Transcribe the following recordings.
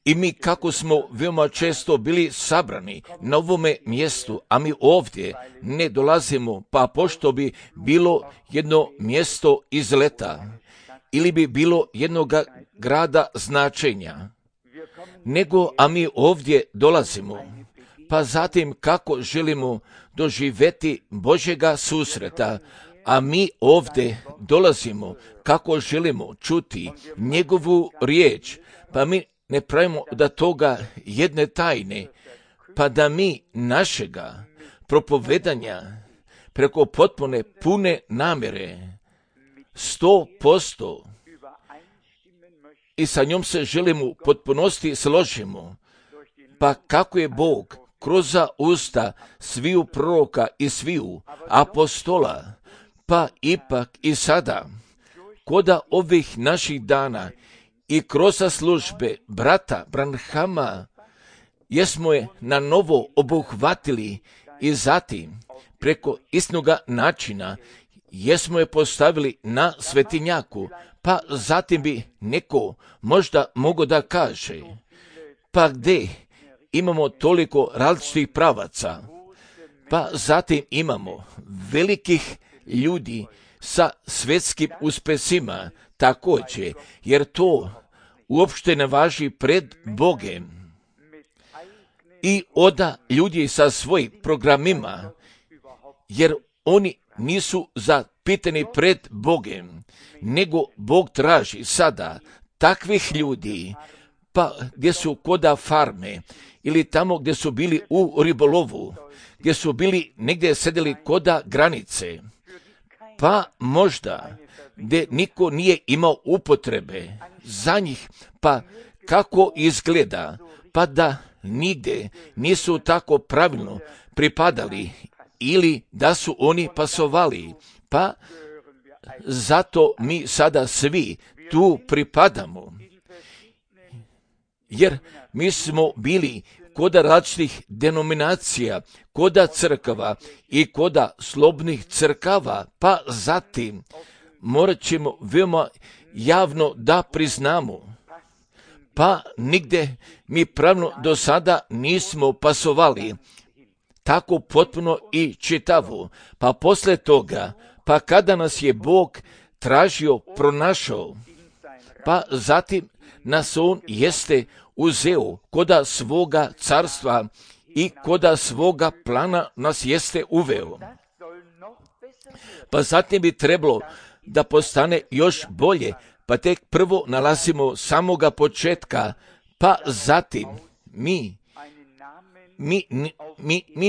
I mi kako smo veoma često bili sabrani na ovome mjestu, a mi ovdje ne dolazimo, pa pošto bi bilo jedno mjesto izleta ili bi bilo jednog grada značenja, nego a mi ovdje dolazimo, pa zatim kako želimo doživjeti Božjega susreta, a mi ovdje dolazimo kako želimo čuti njegovu riječ, pa mi ne pravimo da toga jedne tajne, pa da mi našega propovedanja preko potpune pune namjere 100% i sa njom se želimo u potpunosti složimo, pa kako je Bog kroz usta sviju proroka i sviju apostola, pa ipak i sada, koda ovih naših dana i kroz službe brata Branhama, jesmo je na novo obuhvatili i zatim preko istnoga načina jesmo je postavili na svetinjaku, pa zatim bi neko možda mogao da kaže, pa gdje imamo toliko različitih pravaca, pa zatim imamo velikih ljudi sa svjetskim uspesima također, jer to uopšte ne važi pred Bogem. I oda ljudi sa svojim programima, jer oni nisu zapitani pred Bogem, nego Bog traži sada takvih ljudi, pa gdje su koda farme, ili tamo gdje su bili u ribolovu, gdje su bili negdje sedeli koda granice, pa možda gdje niko nije imao upotrebe za njih, pa kako izgleda, pa da nigdje nisu tako pravilno pripadali ili da su oni pasovali, pa zato mi sada svi tu pripadamo. Jer mi smo bili koda različitih denominacija, koda crkava i koda slobodnih crkava, pa zatim morat ćemo veoma javno da priznamo, pa nigde mi pravno do sada nismo pasovali tako potpuno i čitavo, pa posle toga, pa kada nas je Bog tražio, pronašao, pa zatim nas on jeste uzeo koda svoga carstva i koda svoga plana nas jeste uveo. Pa zatim bi trebalo da postane još bolje, pa tek prvo nalazimo samoga početka, pa zatim mi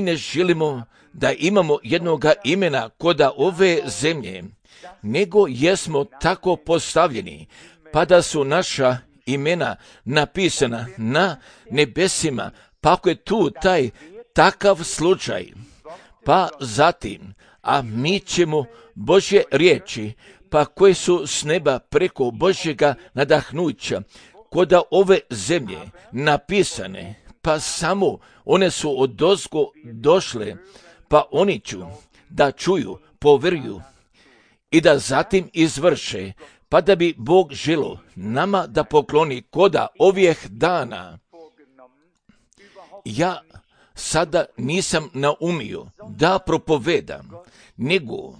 ne želimo da imamo jednoga imena koda ove zemlje, nego jesmo tako postavljeni, pa da su naša imena napisana na nebesima, pa ako je tu taj takav slučaj, pa zatim, a mi ćemo Božje riječi, pa koje su s neba preko Božjega nadahnuća, koda ove zemlje napisane, pa samo one su odozgo došle, pa oni ću da čuju, poveruju i da zatim izvrše, pa da bi Bog želo nama da pokloni koda ovih dana. Ja sada nisam naumio da propovedam, nego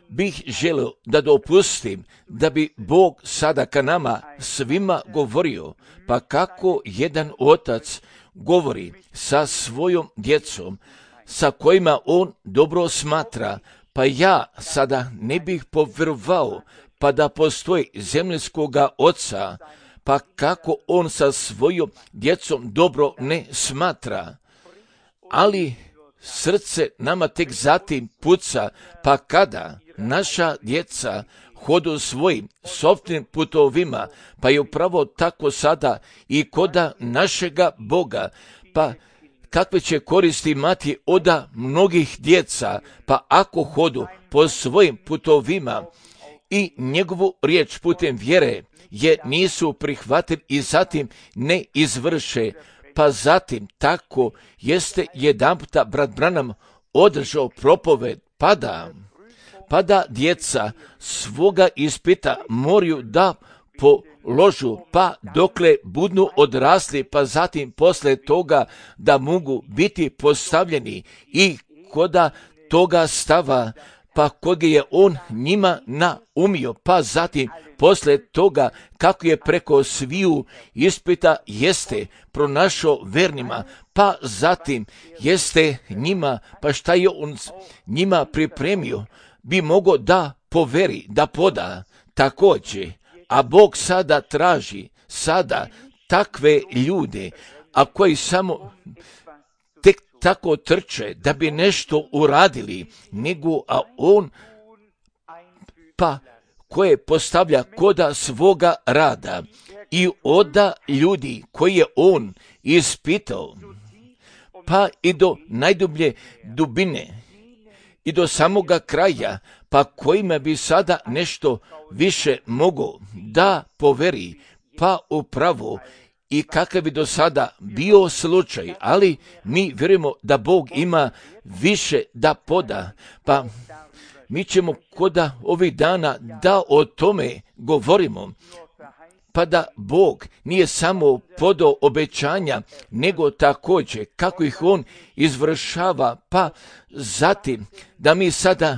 bih želio da dopustim da bi Bog sada ka nama svima govorio, pa kako jedan otac govori sa svojom djecom, sa kojima on dobro smatra, pa ja sada ne bih povjerovao pa da postoji zemljskoga oca, pa kako on sa svojom djecom dobro ne smatra. Ali srce nama tek zatim puca, pa kada naša djeca hodu svojim sopstvenim putovima, pa je upravo tako sada i koda našega Boga, pa kakve će koristi imati oda mnogih djeca, pa ako hodu po svojim putovima i njegovu riječ putem vjere je nisu prihvatili i zatim ne izvrše, pa zatim tako jeste jedanputa brat Branham održao propoved, pa da djeca svoga ispita moraju da položu, pa dokle budnu odrasli, pa zatim posle toga da mogu biti postavljeni i koda toga stava, pa koga je on njima naumio, pa zatim posle toga kako je preko sviju ispita jeste pronašao vernima, pa zatim jeste njima, pa šta je on njima pripremio, bi mogao da poveri, da poda također. A Bog sada traži takve ljude, a koji samo tek tako trče da bi nešto uradili, nego a on pa koje postavlja koda svoga rada i oda ljudi koje je on ispitao, pa i do najdublje dubine i do samoga kraja, pa kojima bi sada nešto više mogao da poveri, pa upravo i kakav bi do sada bio slučaj, ali mi vjerujemo da Bog ima više da poda, pa mi ćemo koda ovih dana da o tome govorimo, pa da Bog nije samo podao obećanja, nego također kako ih on izvršava, pa zatim da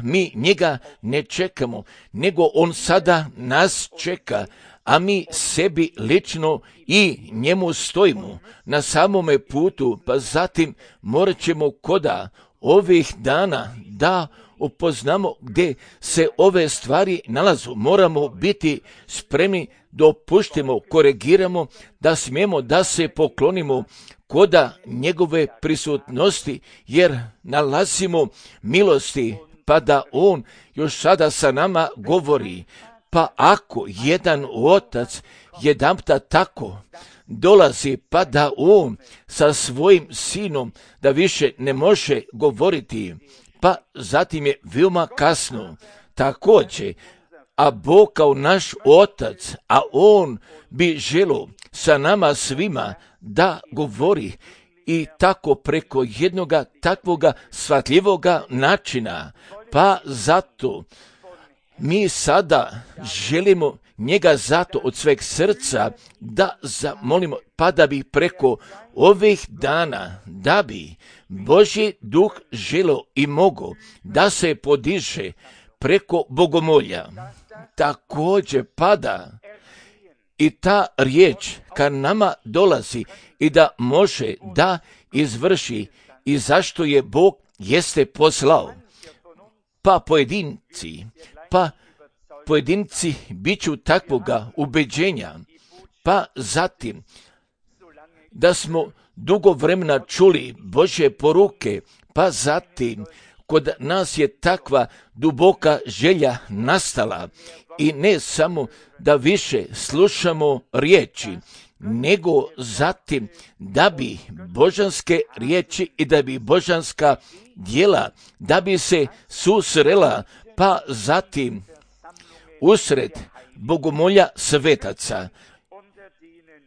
mi njega ne čekamo, nego on sada nas čeka, a mi sebi lično i njemu stojimo na samome putu, pa zatim morat ćemo koda ovih dana da upoznamo gdje se ove stvari nalazu. Moramo biti spremni da opuštimo, korigiramo, da smijemo da se poklonimo koda njegove prisutnosti, jer nalazimo milosti, pa da on još sada sa nama govori. Pa ako jedan otac jedanputa tako dolazi, pa da on sa svojim sinom da više ne može govoriti, pa zatim je veoma kasno. Također, a Bog kao naš otac, a on bi želio sa nama svima da govori i tako preko jednoga takvoga shvatljivoga načina, pa zato mi sada želimo njega zato od sveg srca da zamolimo, pa da bi preko ovih dana, da bi Božji duh želio i mogao da se podiže preko bogomolja. Također pada i ta riječ ka nama dolazi i da može da izvrši i zašto je Bog jeste poslao. Pa pojedinci bit ću takvoga ubeđenja, pa zatim da smo dugo vremena čuli Božje poruke, pa zatim kod nas je takva duboka želja nastala i ne samo da više slušamo riječi, nego zatim da bi božanske riječi i da bi božanska djela, da bi se susrela, pa zatim usred bogomolja svetaca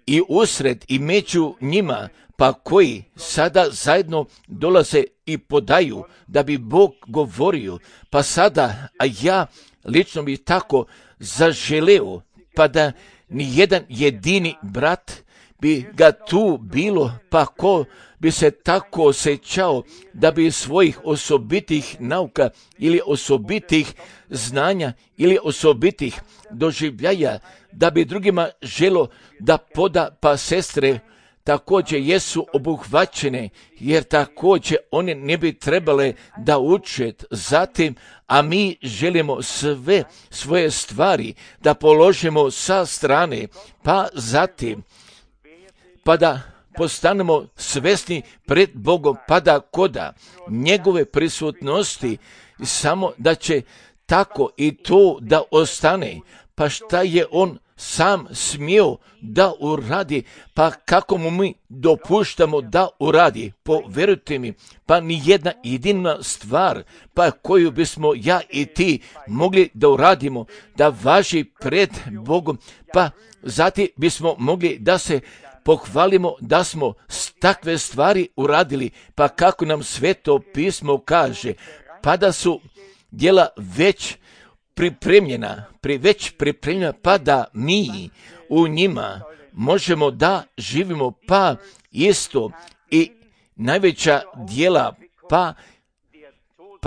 i usred i među njima, pa koji sada zajedno dolaze i podaju da bi Bog govorio, pa sada, a ja lično bi tako zaželeo, pa da ni jedan jedini brat bi ga tu bilo, pa ko bi se tako osjećao da bi svojih osobitih nauka ili osobitih znanja ili osobitih doživljaja, da bi drugima želo da poda, pa sestre također jesu obuhvaćene, jer također one ne bi trebale da uče zatim, a mi želimo sve svoje stvari da položimo sa strane, pa zatim, pa da postanemo svesni pred Bogom, pa da koda njegove prisutnosti samo da će tako i to da ostane, pa šta je on sam smio da uradi, pa kako mu mi dopuštamo da uradi, povjerujte mi, pa ni jedna jedina stvar, pa koju bismo ja i ti mogli da uradimo, da važi pred Bogom, pa zatim bismo mogli da se pohvalimo da smo takve stvari uradili, pa kako nam Sveto pismo kaže, pa da su djela već već pripremljena, pa da mi u njima možemo da živimo, pa isto i najveća djela, pa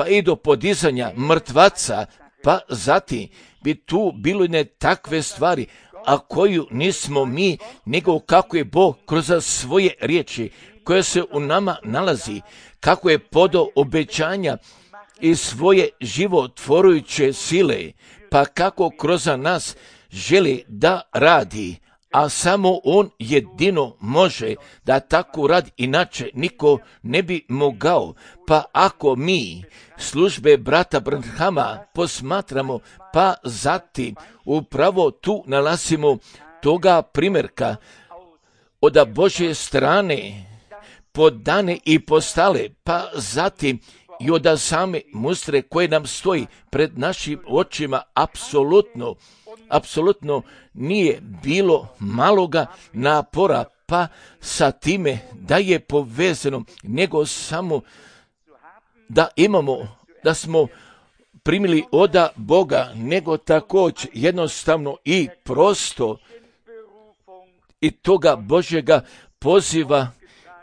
i do podizanja mrtvaca, pa zatim bi tu bilo ne takve stvari, a koju nismo mi, nego kako je Bog kroz svoje riječi, koja se u nama nalazi, kako je podao obećanja i svoje životvorujuće sile, pa kako kroz nas želi da radi, a samo On jedino može da tako radi, inače niko ne bi mogao. Pa ako mi službe brata Branhama posmatramo, pa zatim upravo tu nalazimo toga primjerka od Božje strane podane i postale, pa zatim i od same mustre koje nam stoji pred našim očima, apsolutno nije bilo maloga napora, pa sa time da je povezano, nego samo da smo primili od Boga, nego također jednostavno i prosto i toga Božjega poziva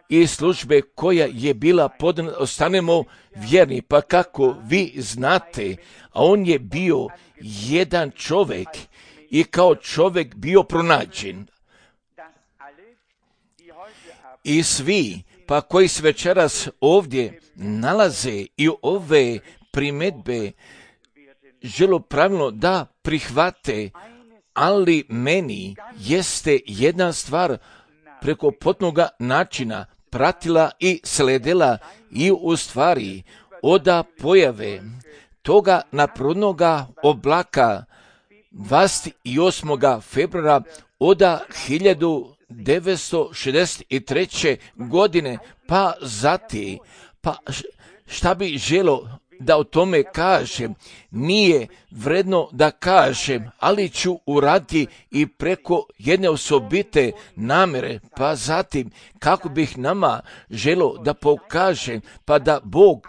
i službe koja je bila podana, ostanemo vjerni. Pa kako vi znate, a on je bio jedan čovjek i kao čovjek bio pronađen. I svi, pa koji se večeras ovdje nalaze i ove primjedbe žele pravilno da prihvate, ali meni jeste jedna stvar preko potpunoga načina pratila i sledila i u stvari od pojave toga naprodnoga oblaka 28. februara od 1963. godine, pa zatim, šta bi želo da o tome kažem, nije vredno da kažem, ali ću uraditi i preko jedne osobite namjere, pa zatim kako bih nama želo da pokažem, pa da Bog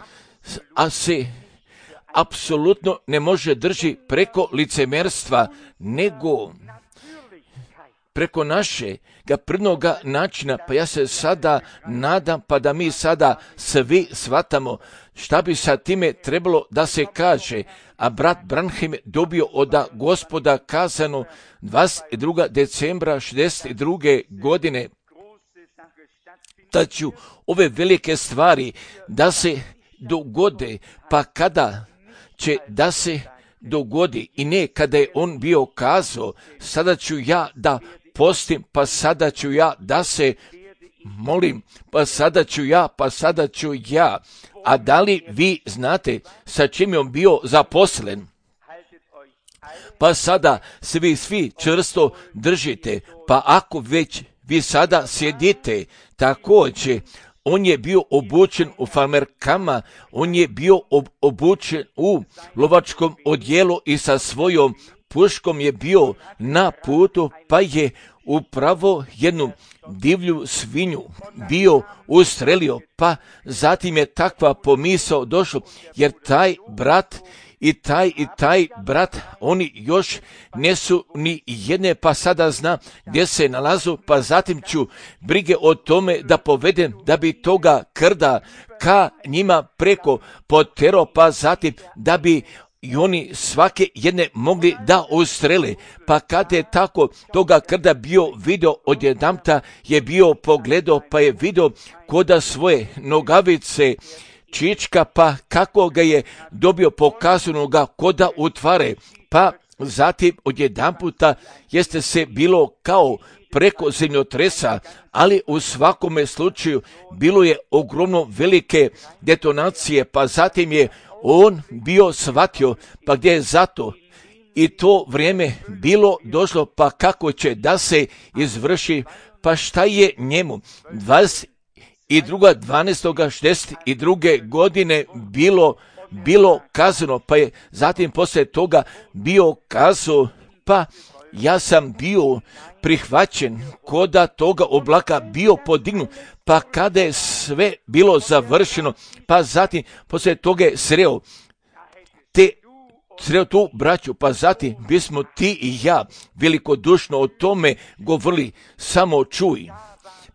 se apsolutno ne može drži preko licemjerstva, nego preko našega prirodnoga načina. Pa ja se sada nadam, pa da mi sada svi shvatamo šta bi sa time trebalo da se kaže. A brat Branham je dobio od Gospoda kazano 22. decembra 62. godine da ću ove velike stvari da se dogode, pa kada će da se dogodi i ne kada je on bio kazao sada ću ja da postim, pa sada ću ja da se molim, pa sada ću ja. A da li vi znate sa čim je on bio zaposlen? Pa sada se vi svi čvrsto držite, pa ako već vi sada sjedite, također on je bio obučen u farmerkama, on je bio obučen u lovačkom odjelu i sa svojom puškom je bio na putu, pa je upravo jednu divlju svinju bio ustrelio, pa zatim je takva pomisao došlo, jer taj brat i taj brat, oni još ne su ni jedne, pa sada zna gdje se nalazu, pa zatim ću brige o tome da povedem da bi toga krda ka njima preko potero, pa zatim da bi i oni svake jedne mogli da ustrele. Pa kada je tako toga krda bio video, odjedanput je bio pogledao, pa je video koda svoje nogavice čička, pa kako ga je dobio pokazano ga koda utvare, pa zatim odjedanputa jeste se bilo kao preko zemljotresa, ali u svakome slučaju bilo je ogromno velike detonacije, pa zatim je on bio shvatio, pa gdje je zato i to vrijeme bilo došlo, pa kako će da se izvrši, pa šta je njemu 22.12.62. godine bilo kazano, pa je zatim poslije toga bio kazao, pa ja sam bio prihvaćen koda toga oblaka bio podignut, pa kada je sve bilo završeno, pa zatim poslije toga je sreo tu braću, pa zatim bismo ti i ja velikodušno o tome govorili, samo čuj.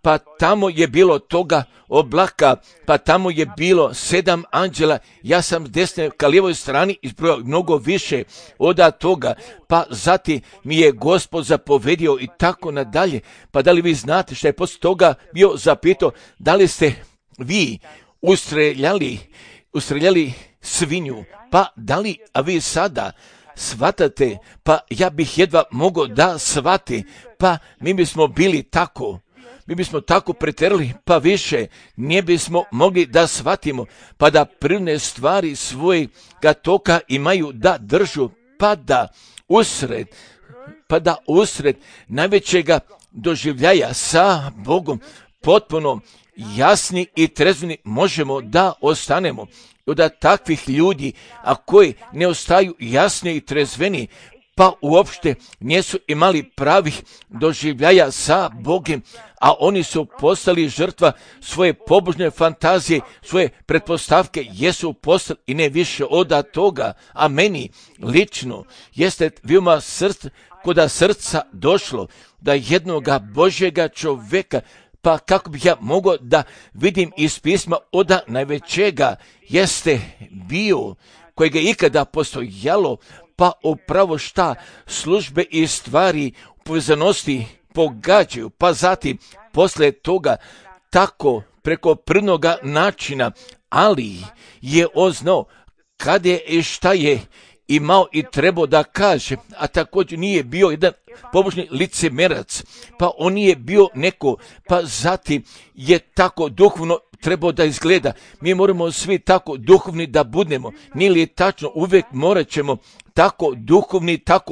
Pa tamo je bilo toga oblaka, pa tamo je bilo 7 anđela, ja sam s desne ka lijevoj strani izbrojao mnogo više od toga, pa zatim mi je Gospod zapovedio i tako nadalje. Pa da li vi znate što je poslije toga bio zapitao, da li ste vi ustreljali svinju, pa da li, a vi sada shvatate, pa ja bih jedva mogao da shvati, pa mi bismo bili tako. Mi bismo tako preterali, pa više ne bismo mogli da shvatimo, pa da prirodne stvari svojega toka imaju da držu, pa da usred najvećega doživljaja sa Bogom potpuno jasni i trezveni možemo da ostanemo. Od takvih ljudi, a koji ne ostaju jasni i trezveni, pa uopšte nisu imali pravih doživljaja sa Bogom, a oni su postali žrtva svoje pobožne fantazije, svoje pretpostavke jesu postali i ne više od toga. A meni lično jeste veoma kod srca došlo da jednoga Božjega čovjeka, pa kako bih ja mogao da vidim iz pisma od najvećega jeste bio, kojega je ikada postojalo, pa upravo šta službe i stvari u povezanosti pogađaju, pa zatim poslije toga tako preko prirodnoga načina, ali je on znao kad je i šta je imao i trebao da kaže, a također nije bio jedan pobožni licemerac, pa on nije bio neko, pa zatim je tako duhovno trebao da izgleda. Mi moramo svi tako duhovni da budemo, nije li tačno, uvijek morat ćemo tako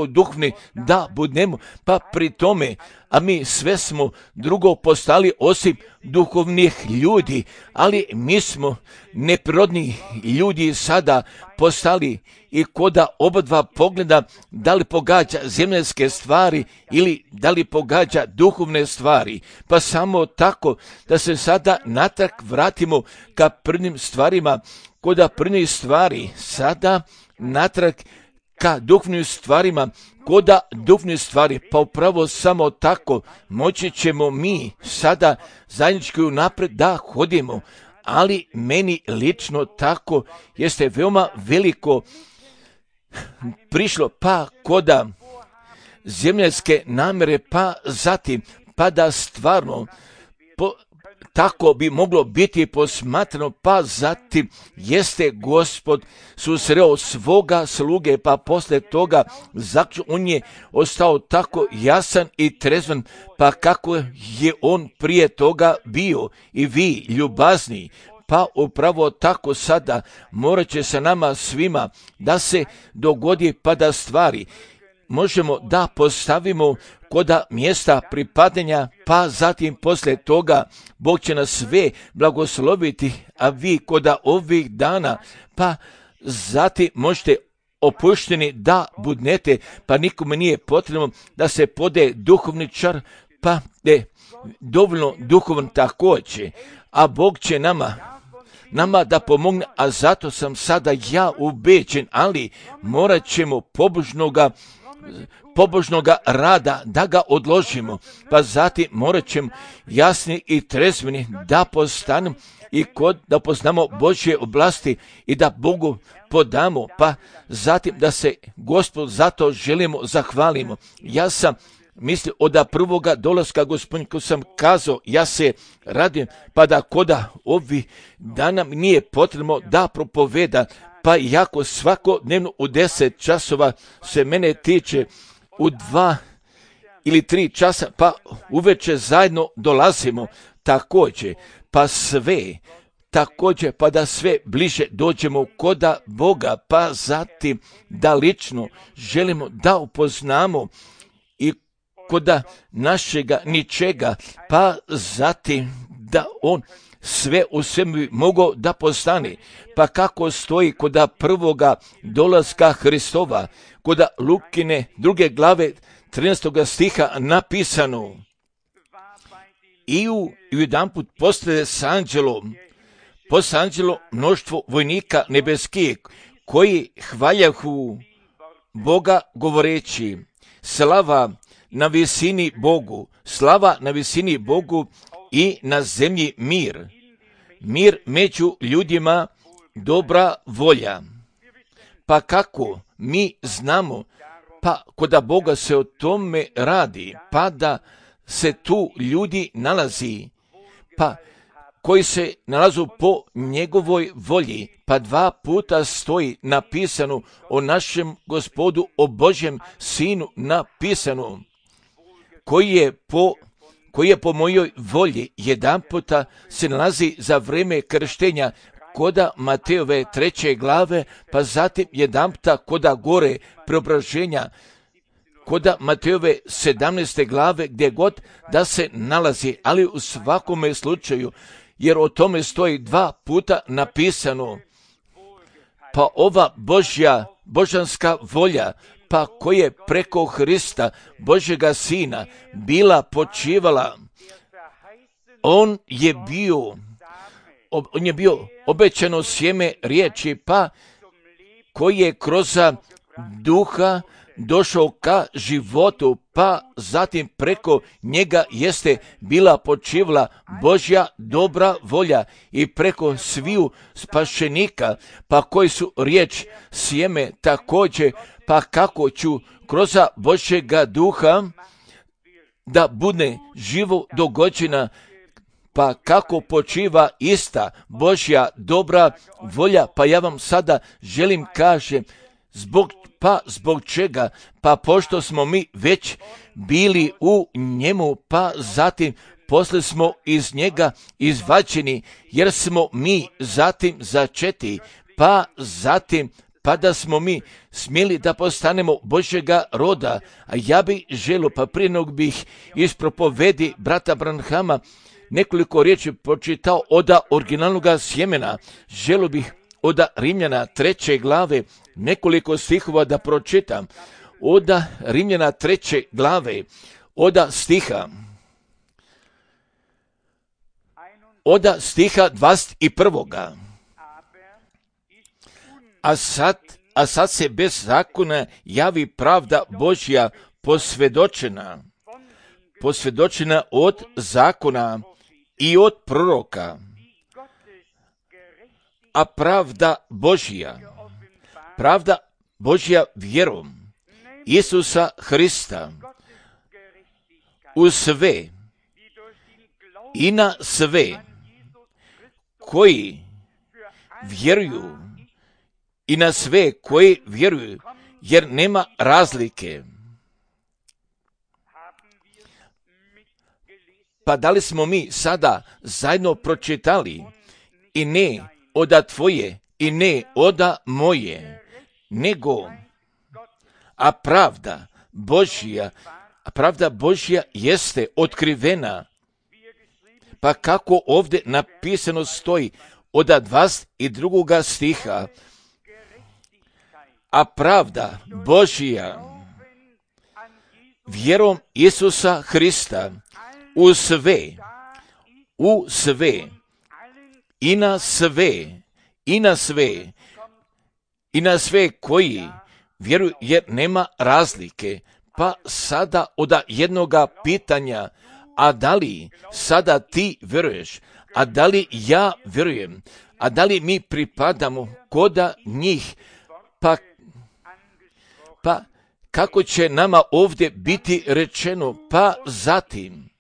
duhovni da budemo, pa pri tome, a mi sve smo drugo postali osim duhovnih ljudi, ali mi smo neprirodni ljudi sada postali i koda obadva pogleda da li pogađa zemaljske stvari ili da li pogađa duhovne stvari, pa samo tako da se sada natrag vratimo ka prvnim stvarima, koda prvnih stvari sada natrag ka duhovnim stvarima, koda duhovnih stvari, pa upravo samo tako moći ćemo mi sada zajednički napred da hodimo, ali meni lično tako jeste veoma veliko prišlo, pa koda zemaljske namere, pa zatim, pa da stvarno tako bi moglo biti posmatrano, pa zatim jeste Gospod susreo svoga sluge, pa posle toga on je ostao tako jasan i trezvan, pa kako je on prije toga bio i vi ljubazni, pa upravo tako sada morat će se nama svima da se dogodi, pa da stvari možemo da postavimo koda mjesta pripadanja, pa zatim poslije toga Bog će nas sve blagosloviti, a vi koda ovih dana, pa zatim možete opušteni da budnete, pa nikome nije potrebno da se pode duhovni čar, pa je dovoljno duhovan također, a Bog će nama da pomogne, a zato sam sada ja ubeđen, ali morat ćemo pobožnoga rada da ga odložimo, pa zatim morat ćemo jasni i trezveni da postanemo i da poznamo Božje oblasti i da Bogu podamo, pa zatim da se Gospod zato želimo zahvalimo. Ja sam mislio od prvoga dolaska Gospodin, ko sam kazao, ja se radim, pa da koda ovih dana nije potrebno da propoveda, pa jako svakodnevno u 10 časova se mene tiče, u 2 ili 3 časa, pa uveče zajedno dolazimo također, pa sve također, pa da sve bliže dođemo koda Boga, pa zatim da lično želimo da upoznamo i koda našega ničega, pa zatim da on sve u svemu bi mogao da postane, pa kako stoji koda prvoga dolaska Hristova, koda Lukine 2. glave 13. stiha napisano, i jedanput postaje s anđelom mnoštvo vojnika nebeskih, koji hvaljahu Boga govoreći, slava na visini Bogu, slava na visini Bogu i na zemlji mir. Mir među ljudima, dobra volja. Pa kako mi znamo, pa koda Boga se o tome radi, pa da se tu ljudi nalazi, pa koji se nalazu po njegovoj volji, pa 2 puta stoji napisano o našem Gospodu, o Božjem Sinu napisano, koji je po mojoj volji. Jedan puta se nalazi za vrijeme krštenja koda Matejove 3. glave, pa zatim jedan puta koda gore preobraženja, koda Matejove 17. glave, gdje god da se nalazi, ali u svakome slučaju, jer o tome stoji 2 puta napisano, pa ova božanska volja, pa koje preko Hrista, Božjega Sina, bila počivala, on je bio obećano sjeme riječi, pa koji je kroz duha došao ka životu, pa zatim preko njega jeste bila počivala Božja dobra volja i preko sviju spašenika, pa koji su riječ sjeme također, pa kako ću kroz Božjega duha da bude živo dogođena, pa kako počiva ista Božja dobra volja. Pa ja vam sada želim kažem, zbog čega? Pa pošto smo mi već bili u njemu, pa zatim poslije smo iz njega izvađeni, jer smo mi zatim začeti, pa zatim pa da smo mi smjeli da postanemo Božjega roda. A ja bih želio, pa prije nego bih iz propovedi brata Branhama nekoliko riječi pročitao od originalnog sjemena, želio bih od Rimljana 3. glave nekoliko stihova da pročitam. Od Rimljana 3. glave, od stiha 21. A sad se bez zakona javi pravda Božja posvjedočena od zakona i od proroka. A pravda Božja vjerom Isusa Hrista u sve i na sve koji vjeruju, i na sve koji vjeruju, jer nema razlike. Pa da li smo mi sada zajedno pročitali, i ne oda tvoje i ne oda moje, nego a pravda Božja jeste otkrivena. Pa kako ovdje napisano stoji od 22. stiha, a pravda Božja vjerom Isusa Hrista u sve i na sve koji vjeruju, jer nema razlike. Pa sada od jednoga pitanja, a da li sada ti vjeruješ, a da li ja vjerujem, a da li mi pripadamo koda njih, pa kako će nama ovdje biti rečeno, pa zatim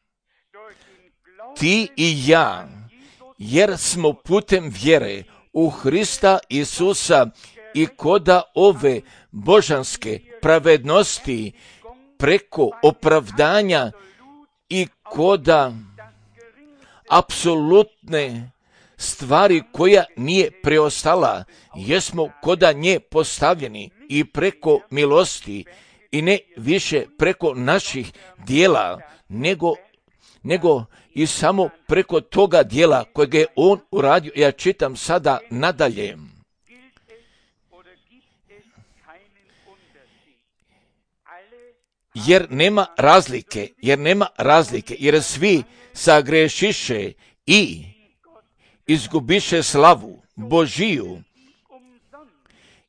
ti i ja, jer smo putem vjere u Hrista Isusa i koda ove božanske pravednosti preko opravdanja i koda apsolutne stvari koja nije preostala, jesmo koda nje postavljeni i preko milosti i ne više preko naših dijela, nego i samo preko toga dijela kojeg je on uradio. Ja čitam sada nadalje. Jer nema razlike, jer svi sagrešiše i izgubiše slavu Božiju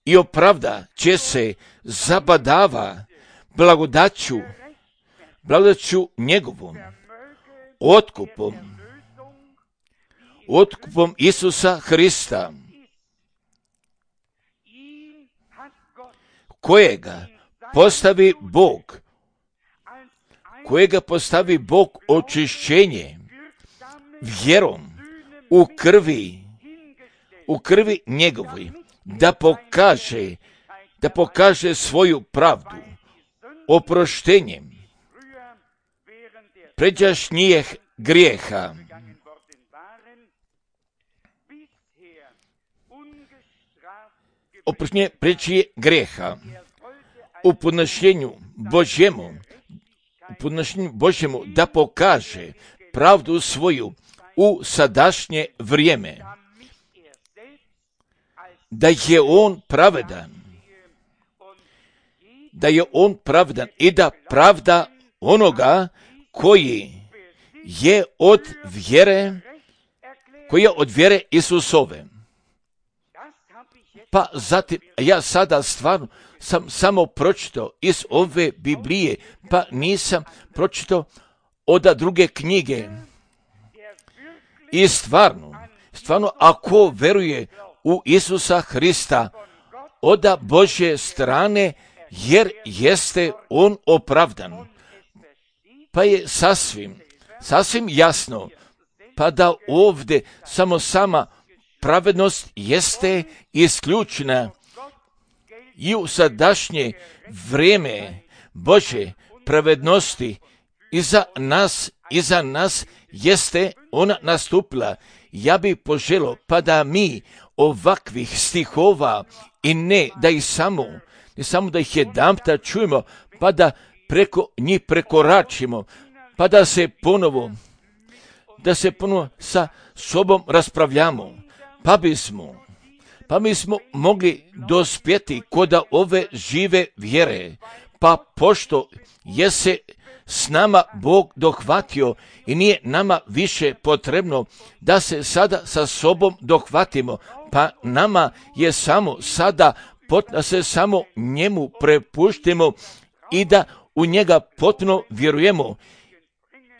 i opravda će se zabadava blagodaću njegovom, otkupom Isusa Hrista, kojega postavi Bog očišćenje vjerom u krvi njegovoj, da pokaže svoju pravdu oproštenjem pređašnjih grijeha, oproštenje pređašnjih grijeha u podnošenju Božjemu, da pokaže pravdu svoju u sadašnje vrijeme, da je on pravedan i da pravda onoga koji je od vjere Isusove. Pa zatim, ja sada stvarno sam samo pročitao iz ove Biblije, pa nisam pročitao od druge knjige. I stvarno, ako veruje u Isusa Hrista od Božje strane, jer jeste on opravdan, pa je sasvim jasno, pa da ovdje sama pravednost jeste isključena i u sadašnje vrijeme Božje pravednosti iza nas jeste ona nastupila. Ja bih poželio pa da mi ovakvih stihova i ne samo da ih jedanputa čujemo, pa da preko njih prekoračimo, pa da se ponovo sa sobom raspravljamo, pa bismo mogli dospjeti kod ove žive vjere, pa pošto je se s nama Bog dohvatio i nije nama više potrebno da se sada sa sobom dohvatimo, pa nama je samo sada da se samo njemu prepuštimo i da u njega potpuno vjerujemo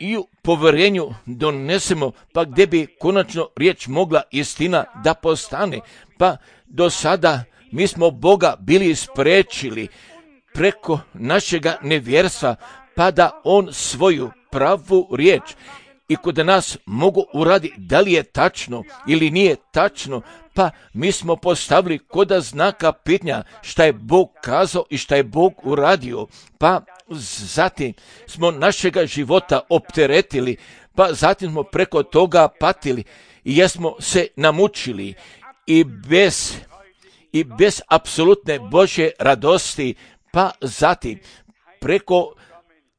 i u povjerenju donesemo, pa gdje bi konačno riječ mogla istina da postane. Pa do sada mi smo Boga bili spriječili preko našega nevjerstva, pa da on svoju pravu riječ i kod nas mogu uraditi da li je tačno ili nije tačno, pa mi smo postavili kod znaka pitanja šta je Bog kazao i šta je Bog uradio, pa zatim smo našega života opteretili, pa zatim smo preko toga patili i jesmo se namučili i bez apsolutne Božje radosti, pa zatim preko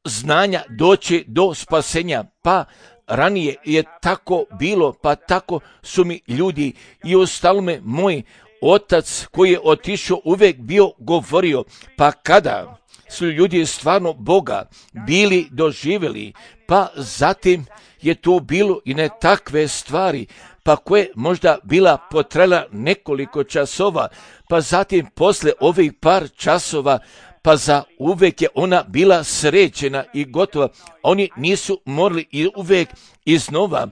znanja doći do spasenja, pa ranije je tako bilo, pa tako su mi ljudi i ostalome moj otac koji je otišao uvijek bio govorio, pa kada su ljudi stvarno Boga bili doživjeli, pa zatim je to bilo i ne takve stvari, pa koje možda bila potrela nekoliko časova, pa zatim posle ovih par časova, pa za uvijek je ona bila srećena i gotova. Oni nisu morali i uvijek iznova,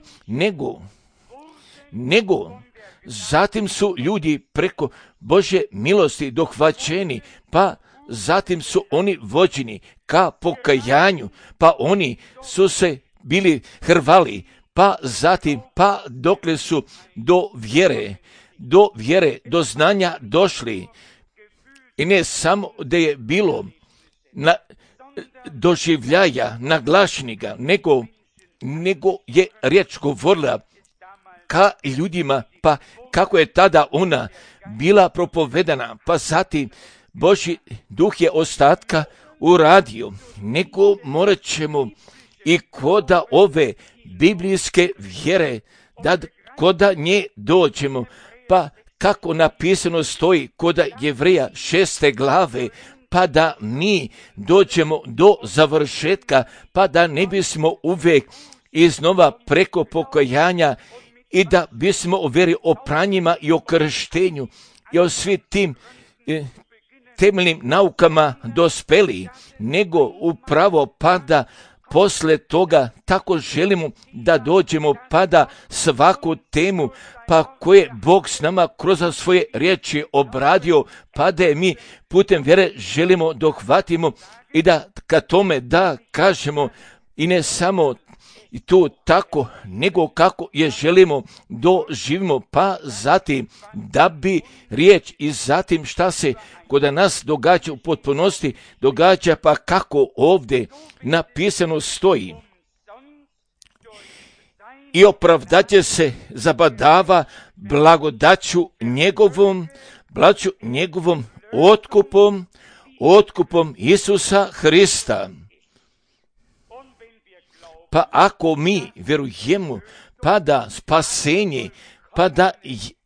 nego zatim su ljudi preko Božje milosti dohvaćeni, pa zatim su oni vođeni ka pokajanju, pa oni su se bili hrvali, pa zatim, pa dokle su do vjere, do znanja došli. I ne samo da je bilo doživljaja naglašenika, nego je riječ govorila ka ljudima, pa kako je tada ona bila propovedana, pa zatim Božji duh je ostatka uradio, nego morat ćemo i koda ove biblijske vjere, da koda nje dođemo, pa kako napisano stoji kod Jevreja 6. glave, pa da mi dođemo do završetka, pa da ne bismo uvijek iznova preko pokajanja i da bismo o vjeri, o pranjima i o krštenju i o svi tim temeljnim naukama dospeli, nego upravo pa da posle toga tako želimo da dođemo pa da svaku temu pa koje Bog s nama kroz svoje riječi obradio, pa da je mi putem vjere želimo dohvatimo i da ka tome da kažemo i ne samo i tu tako, nego kako je želimo doživimo, pa zatim da bi riječ i zatim šta se kod nas događa u potpunosti, događa pa kako ovdje napisano stoji. I opravdaće se zabadava blagodaću njegovom otkupom Isusa Hrista. Pa ako mi vjerujemo, pa da spasenje, pa da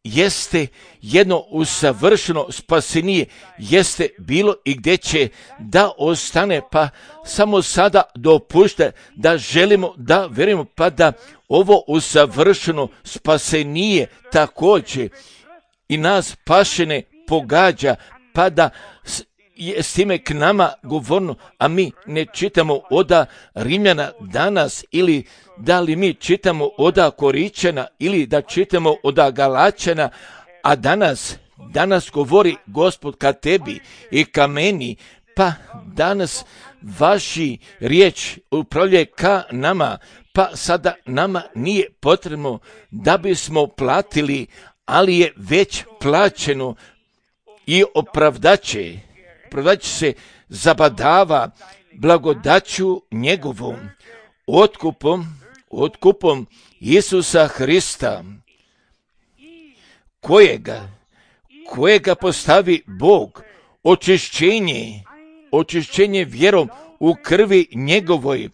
jeste jedno usavršeno spasenije, jeste bilo i gdje će da ostane, pa samo sada dopušta da želimo da vjerujemo, pa da ovo usavršeno spasenije također i nas pašene pogađa, pa da je s time k nama govorno, a mi ne čitamo oda Rimljana danas, ili da li mi čitamo oda Koričana, ili da čitamo oda Galačana, a danas govori Gospod ka tebi i ka meni, pa danas vaši riječ upravlja ka nama, pa sada nama nije potrebno da bismo platili, ali je već plaćeno i opravdaće se zabadava blagodaću njegovom otkupom Isusa Hrista, kojega postavi Bog, očišćenje vjerom u krvi njegovoj,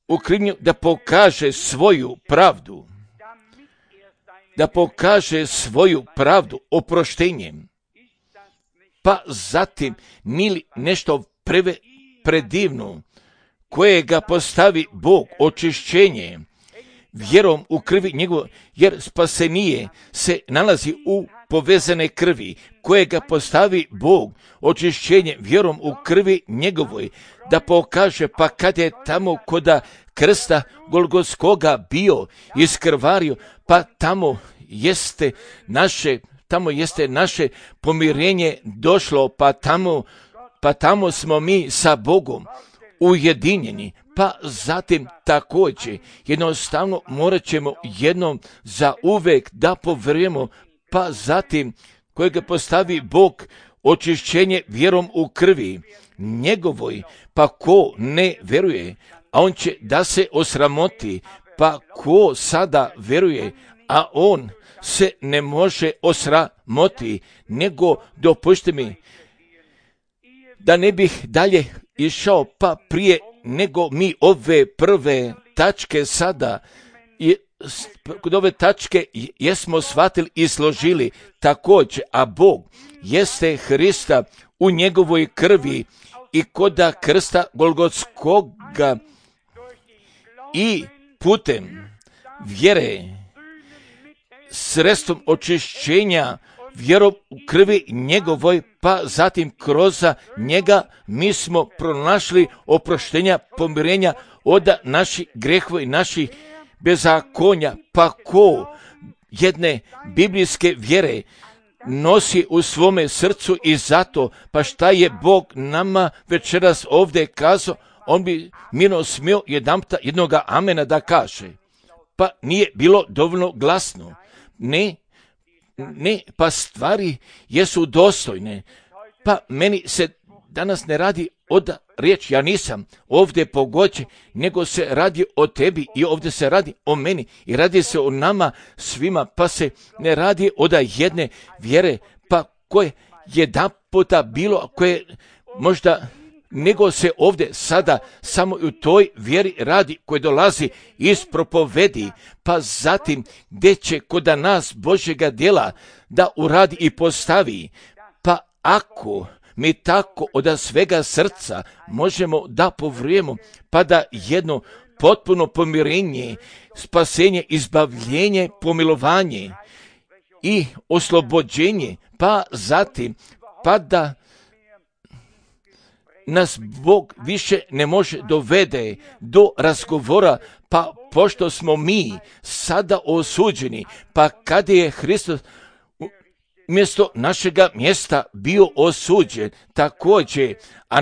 u krivnju da pokaže svoju pravdu oproštenjem. Pa zatim nili nešto predivno, kojega postavi Bog, očišćenje vjerom u krvi njegovoj, jer spasenije se nalazi u povezane krvi, kojega postavi Bog, očišćenje vjerom u krvi njegovoj, da pokaže pa kad je tamo koda krsta Golgotskoga bio iskrvario, pa tamo jeste naše pomirenje došlo, pa tamo smo mi sa Bogom ujedinjeni, pa zatim također jednostavno morat ćemo jednom za uvek da povjerujemo, pa zatim kojega postavi Bog, očišćenje vjerom u krvi njegovoj, pa ko ne vjeruje, a on će da se osramoti, pa ko sada vjeruje, a on se ne može osramoti, nego dopušti mi da ne bih dalje išao, pa prije nego mi ove prve tačke sada, kod ove tačke jesmo shvatili i složili također, a Bog jeste Hrista u njegovoj krvi i koda krsta Golgotskoga i putem vjere, sredstvom očišćenja vjerom u krvi njegovoj, pa zatim kroz njega mi smo pronašli oproštenja, pomirenja od naših grehova i naših bezakonja. Pa ko jedne biblijske vjere nosi u svome srcu i zato, pa šta je Bog nama večeras ovdje kazao, on bi mirno smio jednoga amena da kaže. Pa nije bilo dovoljno glasno. Ne, pa stvari jesu dostojne. Pa meni se danas ne radi od riječ, ja nisam ovdje pogođen, nego se radi o tebi i ovdje se radi o meni i radi se o nama svima, pa se ne radi od jedne vjere, pa koje jedan puta bilo, koje možda, nego se ovdje sada samo u toj vjeri radi koje dolazi iz propovedi, pa zatim gdje će kod nas Božjega djela da uradi i postavi, pa ako mi tako od svega srca možemo da povrijemo, pa da jedno potpuno pomirenje, spasenje, izbavljenje, pomilovanje i oslobođenje, pa zatim, pa da nas Bog više ne može dovede do razgovora, pa pošto smo mi sada osuđeni, pa kada je Hristos mjesto našega mjesta bio osuđen također, a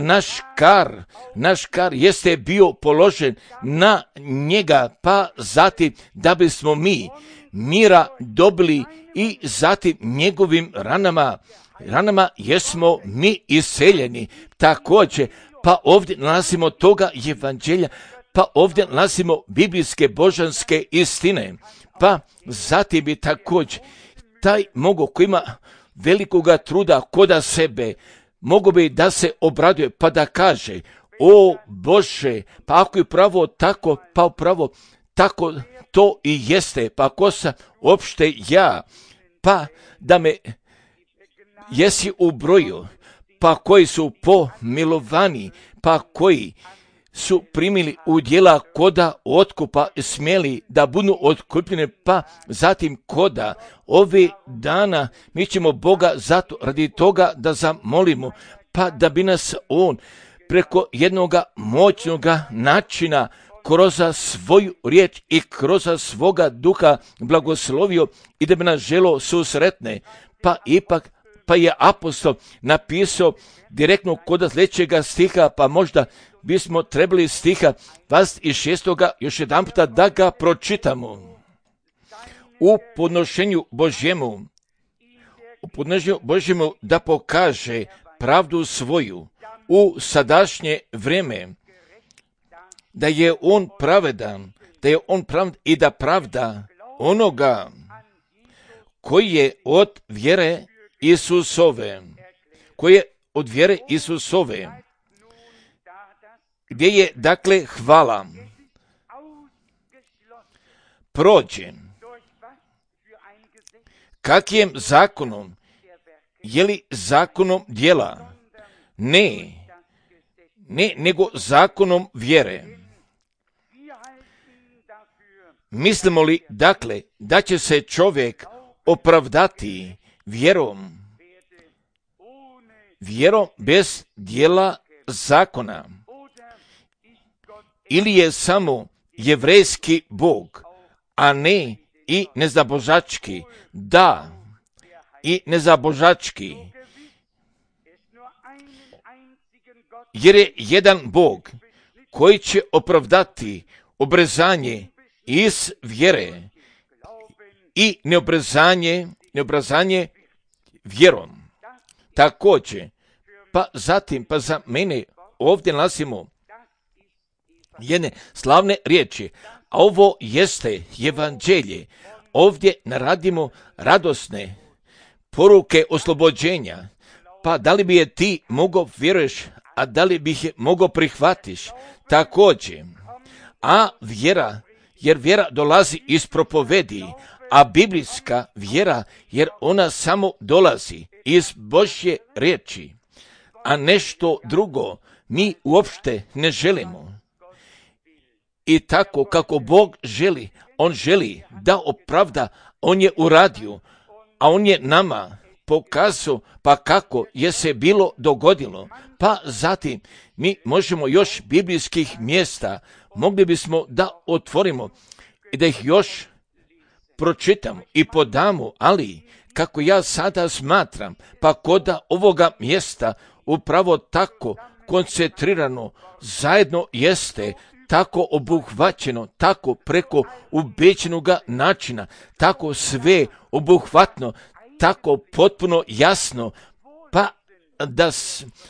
naš kar jeste bio položen na njega, pa zatim da bismo mi mira dobili i zatim njegovim ranama jesmo mi iseljeni također, pa ovdje nalazimo toga evanđelja, pa ovdje nalazimo biblijske božanske istine, pa zatim bi također taj mogo koji ima velikoga truda koda sebe, mogo bi da se obraduje pa da kaže, o Bože, pa ako je pravo tako, pa upravo tako to i jeste, pa ko sam opšte ja, pa da me jesi u broju, pa koji su pomilovani, pa koji su primili udjela koda otkupa, smjeli da budu otkupljene, pa zatim koda ove dana mi ćemo Boga zato radi toga da zamolimo, pa da bi nas On preko jednoga moćnoga načina kroz svoju riječ i kroz svoga duha blagoslovio i da bi nas želo susretne, pa je apostol napisao direktno kod sljedećega stiha, pa možda bismo trebali stiha 26. još jedan puta da ga pročitamo. U podnošenju Božjemu da pokaže pravdu svoju u sadašnje vrijeme, da je on pravedan, i da pravda onoga koji je od vjere Isusove, gdje je dakle hvala prođe. Kakijem zakonom? Je li zakonom djela? Ne, nego zakonom vjere. Mislimo li dakle da će se čovjek opravdati vjerom bez djela zakona? Ili je samo jevrejski Bog, a ne i nezabožački? Da, i nezabožački. Jer je jedan Bog koji će opravdati obrezanje iz vjere i neobrezanje vjerom. Također, pa za mene ovdje nalazimo jedne slavne riječi, a ovo jeste evanđelje. Ovdje naradimo radosne poruke oslobođenja, pa da li bi je ti mogao vjeruješ, a da li bi je mogao prihvatiš također. A jer vjera dolazi iz propovedi, a biblijska vjera, jer ona samo dolazi iz Božje riječi, a nešto drugo mi uopšte ne želimo. I tako kako Bog želi, On želi da opravda, On je uradio, a On je nama pokazao pa kako je se bilo dogodilo. Pa zatim mi možemo još biblijskih mjesta, mogli bismo da otvorimo i da ih još pročitamo i podamo, ali kako ja sada smatram, pa koda ovoga mjesta upravo tako koncentrirano zajedno jeste, tako obuhvaćeno, tako preko ubeđenoga načina, tako sve obuhvatno, tako potpuno jasno, pa da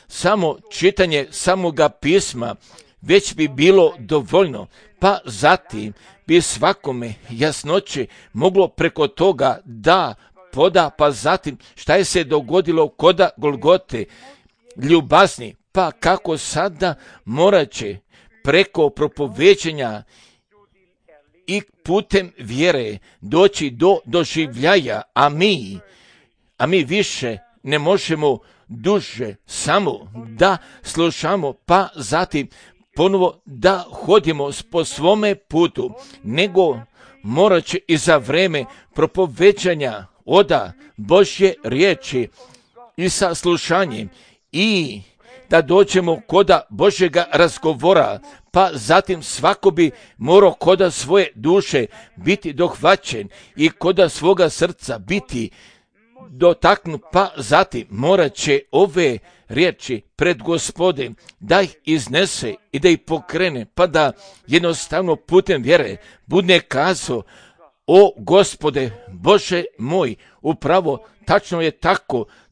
samo čitanje samoga pisma već bi bilo dovoljno, pa zatim bi svakome jasnoće moglo preko toga da poda, pa zatim šta je se dogodilo koda Golgote, ljubazni, pa kako sada morat će preko propoveđenja i putem vjere doći do doživljaja, a mi više ne možemo duže samo da slušamo, pa zatim ponovo da hodimo po svome putu, nego morat će i za vreme propoveđanja oda Božje riječi i sa slušanjem i da dođemo koda Božjega razgovora, pa zatim svako bi morao koda svoje duše biti dohvaćen i koda svoga srca biti dotaknut, pa zatim morat će ove riječi pred Gospodem da ih iznese i da ih pokrene, pa da jednostavno putem vjere bude kazao: o Gospode, Bože moj, upravo tačno je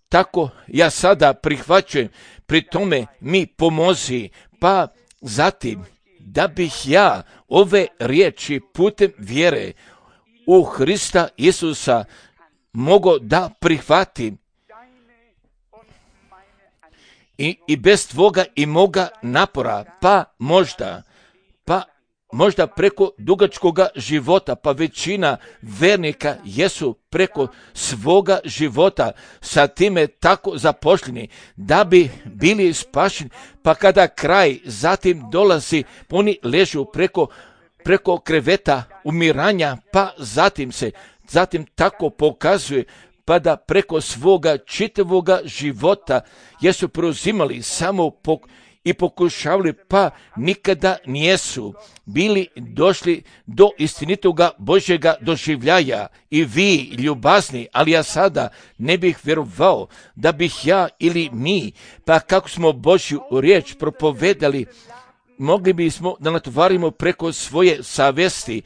tako ja sada prihvaćujem, pri tome mi pomozi, pa zatim da bih ja ove riječi putem vjere u Hrista Isusa mogao da prihvatim i bez tvoga i moga napora, pa možda preko dugačkoga života, pa većina vernika jesu preko svoga života sa time tako zapošljeni da bi bili spašeni, pa kada kraj zatim dolazi, oni ležu preko kreveta umiranja, pa zatim tako pokazuje, pa da preko svoga čitavoga života jesu preuzimali samo i pokušavali, pa nikada nijesu bili došli do istinitoga Božjega doživljaja. I vi, ljubazni, ali ja sada ne bih vjerovao da bih ja ili mi, pa kako smo Božju riječ propovedali, mogli bismo da natvarimo preko svoje savjesti,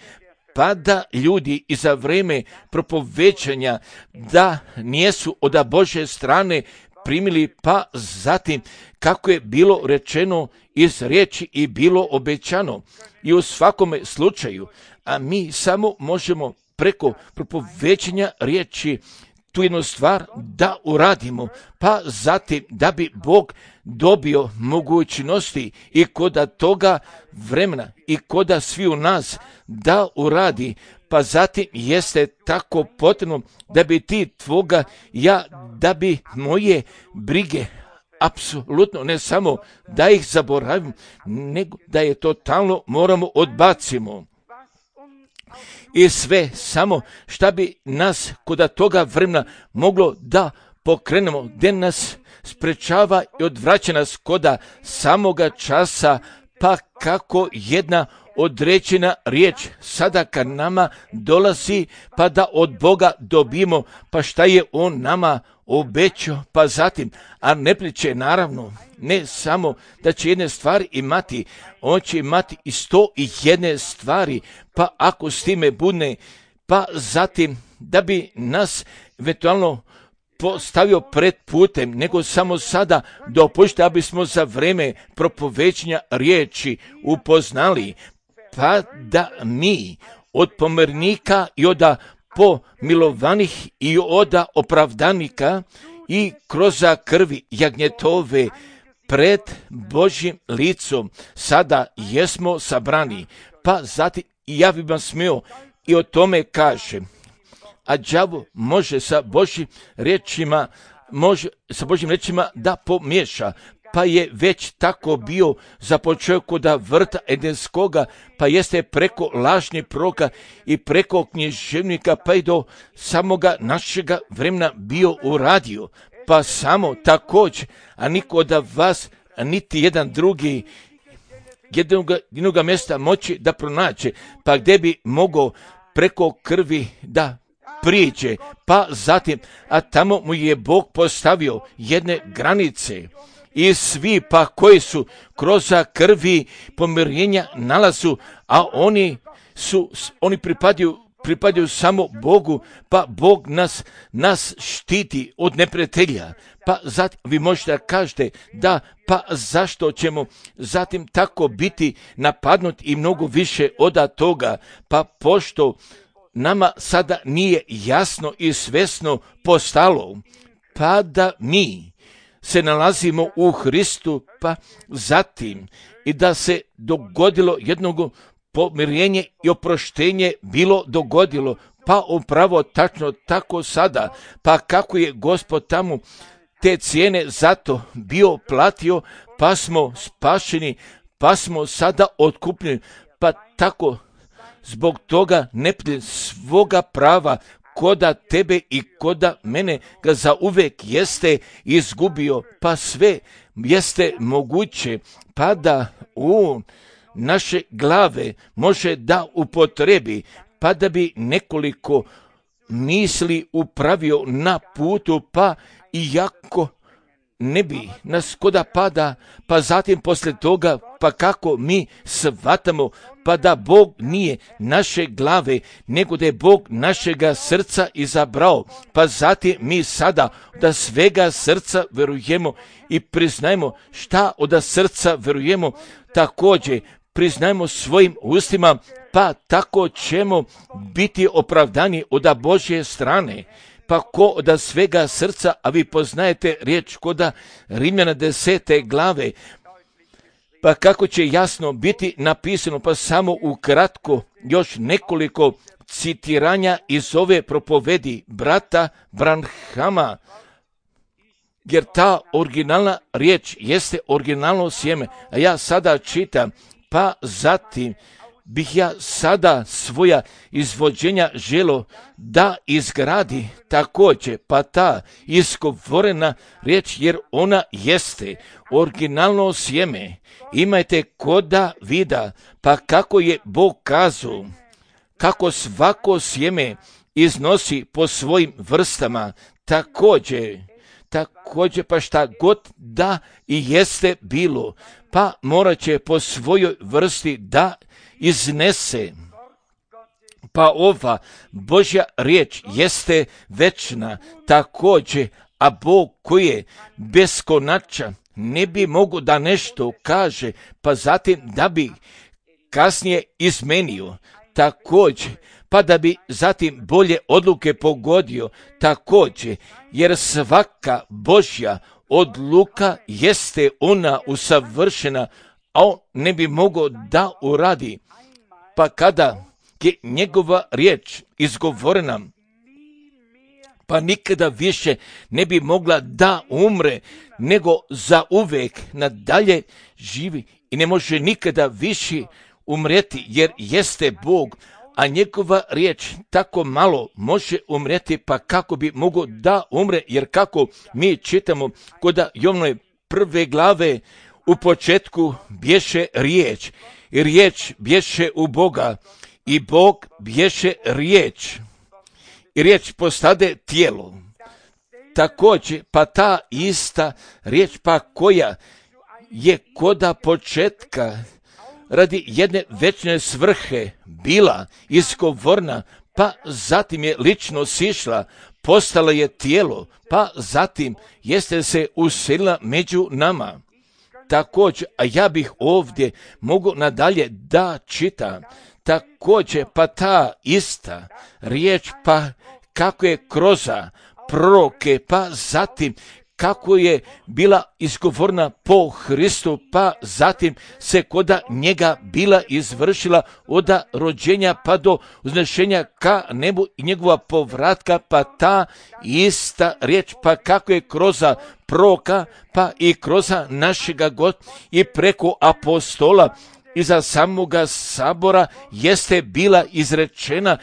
pa da ljudi i za vrijeme propovećanja da nijesu od Božje strane primili, pa zatim kako je bilo rečeno iz riječi i bilo obećano. I u svakome slučaju, a mi samo možemo preko propovećanja riječi tu jednu stvar da uradimo, pa zatim da bi Bog dobio mogućnosti i koda toga vremena i koda svi u nas da uradi, pa zatim jeste tako potrebno da bi ti tvoga, da bi moje brige apsolutno ne samo da ih zaboravim, nego da je totalno moramo odbacimo. I sve samo šta bi nas koda toga vremena moglo da pokrenemo, gdje nas sprečava i odvraća nas koda samoga časa, pa kako jedna određena riječ sada kad nama dolazi, pa da od Boga dobijemo, pa šta je On nama obećao, pa zatim, a ne priče naravno, ne samo da će jedne stvari imati, on će imati i 101 stvari, pa ako s time bude, pa zatim da bi nas eventualno postavio pred putem, nego samo sada dopušta da bismo za vrijeme propovećanja riječi upoznali, pa da mi od pomirnika i od pomilovanih i od opravdanika i kroz krvi jagnjetove pred Božjim licom sada jesmo sabrani, pa zatim ja bih vam smio i o tome kažem. A đavo može sa Božjim riječima da pomiješa, pa je već tako bio započeo kod vrta Edenskoga, pa jeste preko lažnih proroka i preko književnika, pa i do samoga našega vremena bio uradio, pa samo također, a niko od vas, niti jedan drugi, jednoga mjesta moći da pronaće, pa gdje bi mogao preko krvi da priđe, pa zatim, a tamo mu je Bog postavio jedne granice i svi pa koji su kroz krvi pomirenja nalazu, a oni pripadaju samo Bogu, pa Bog nas štiti od neprijatelja. Pa zatim vi možete kažete da pa zašto ćemo zatim tako biti napadnuti i mnogo više od toga, pa pošto nama sada nije jasno i svjesno postalo, pa da mi se nalazimo u Hristu, pa zatim i da se dogodilo jednog pomirenje i oproštenje bilo dogodilo, pa upravo tačno tako sada, pa kako je Gospod tamo te cijene zato bio platio, pa smo spašeni, pa smo sada otkupljeni, pa tako zbog toga neprijatelj svoga prava koda tebe i koda mene ga zauvek jeste izgubio, pa sve jeste moguće pa da u naše glave može da upotrebi, pa da bi nekoliko misli upravio na putu, pa iako ne bi nas koda pada, pa zatim poslije toga, pa kako mi shvatamo, pa da Bog nije naše glave, nego da je Bog našega srca izabrao, pa zatim mi sada da svega srca verujemo i priznajemo šta od srca verujemo, također priznajmo svojim ustima, pa tako ćemo biti opravdani od Božje strane. Pa ko od svega srca, a vi poznajete riječ koda Rimljana 10. glave, pa kako će jasno biti napisano, pa samo ukratko još nekoliko citiranja iz ove propovedi brata Branhama, jer ta originalna riječ jeste originalno sjeme, a ja sada čitam, pa zatim bih ja sada svoja izvođenja želo da izgradi također, pa ta izgovorena riječ, jer ona jeste originalno sjeme. Imajte koda vida, pa kako je Bog kazao, kako svako sjeme iznosi po svojim vrstama, također pa šta god da i jeste bilo, pa morat će po svojoj vrsti da iznese. Pa ova Božja riječ jeste večna također, a Bog koji je beskonačan ne bi mogao da nešto kaže, pa zatim da bi kasnije izmenio također, pa da bi zatim bolje odluke pogodio također, jer svaka Božja odluka jeste ona usavršena, a on ne bi mogao da uradi. Pa kada je njegova riječ izgovorena, pa nikada više ne bi mogla da umre, nego za uvek nadalje živi i ne može nikada više umreti, jer jeste Bog, a njegova riječ tako malo može umreti, pa kako bi mogao da umre, jer kako mi čitamo kod Jovnove 1. glave, u početku bješe riječ, i riječ bješe u Boga, i Bog bješe riječ, i riječ postade tijelo. Također, pa ta ista riječ, pa koja je koda početka radi jedne večne svrhe bila izgovorna, pa zatim je lično sišla, postala je tijelo, pa zatim jeste se uselila među nama. Također, a ja bih ovdje mogu nadalje da čitam, također, pa ta ista riječ, pa kako je kroz proroke, pa zatim kako je bila izgovorna po Hristu, pa zatim se koda njega bila izvršila od rođenja pa do uznešenja ka nebu i njegova povratka, pa ta ista riječ, pa kako je kroz proroka, pa i kroz našega God i preko apostola iza samoga sabora jeste bila izrečena,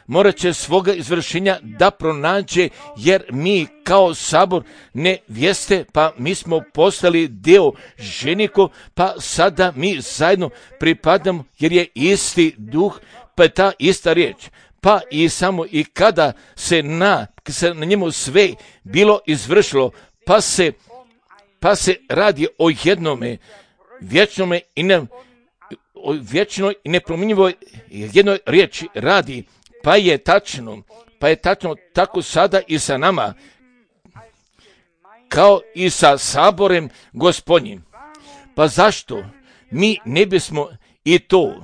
morat će svoga izvršenja da pronađe, jer mi kao sabor nevjeste, pa mi smo postali dio ženikov, pa sada mi zajedno pripadamo, jer je isti duh, pa je ta ista riječ. Pa i samo i kada se na njemu sve bilo izvršilo, pa se radi o jednome vječnoj i nepromjenjivoj jednoj riječi radi, pa je tačno tako sada i sa nama, kao i sa saborem Gospodnjim. Pa zašto mi ne bismo i to,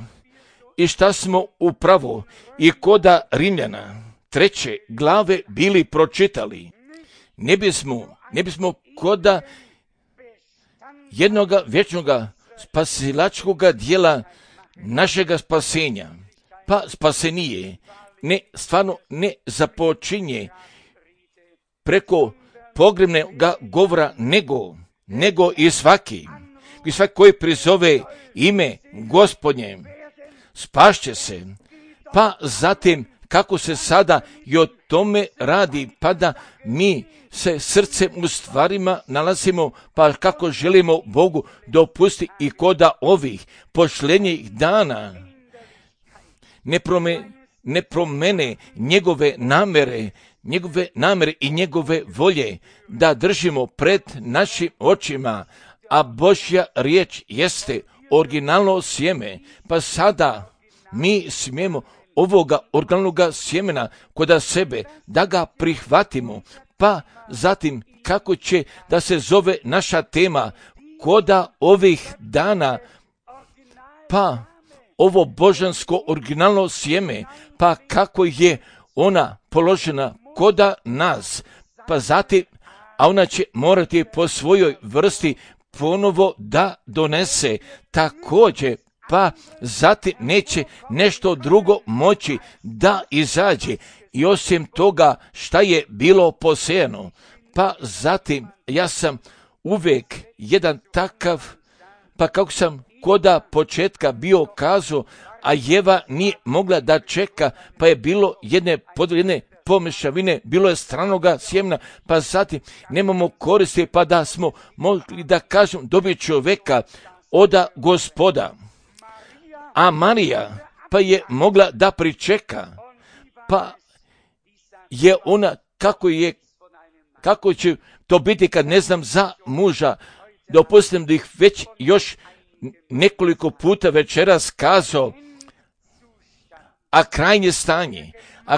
i šta smo upravo i koda Rimljana 3. glave bili pročitali, ne bismo koda jednoga vječnoga spasilačkoga dijela našega spasenja, pa spasenije stvarno ne započinje preko pogrebnega govora, nego i svaki koji prizove ime Gospodnje spašće se, pa zatim kako se sada i o tome radi, pa da mi se srcem u stvarima nalazimo, pa kako želimo Bogu dopustiti i koda ovih pošlenjih dana ne promene njegove namere i njegove volje, da držimo pred našim očima, a Božja riječ jeste originalno sjeme, pa sada mi smijemo ovoga originalnoga sjemena kod sebe, da ga prihvatimo, pa zatim kako će da se zove naša tema koda ovih dana, pa ovo božansko originalno sjeme, pa kako je ona položena koda nas, pa zatim, a ona će morati po svojoj vrsti ponovo da donese također, pa zatim neće nešto drugo moći da izađe i osim toga šta je bilo posejano. Pa zatim ja sam uvijek jedan takav, pa kako sam koda početka bio kazao, a Jeva nije mogla da čeka, pa je bilo jedne pomešavine, bilo je stranoga sjemena, pa zatim nemamo koristi, pa da smo mogli da kažem dobiti čovjeka oda Gospoda. A Marija pa je mogla da pričeka, pa je ona, kako će to biti kad ne znam za muža, dopustim da ih već još nekoliko puta večeras kazao, a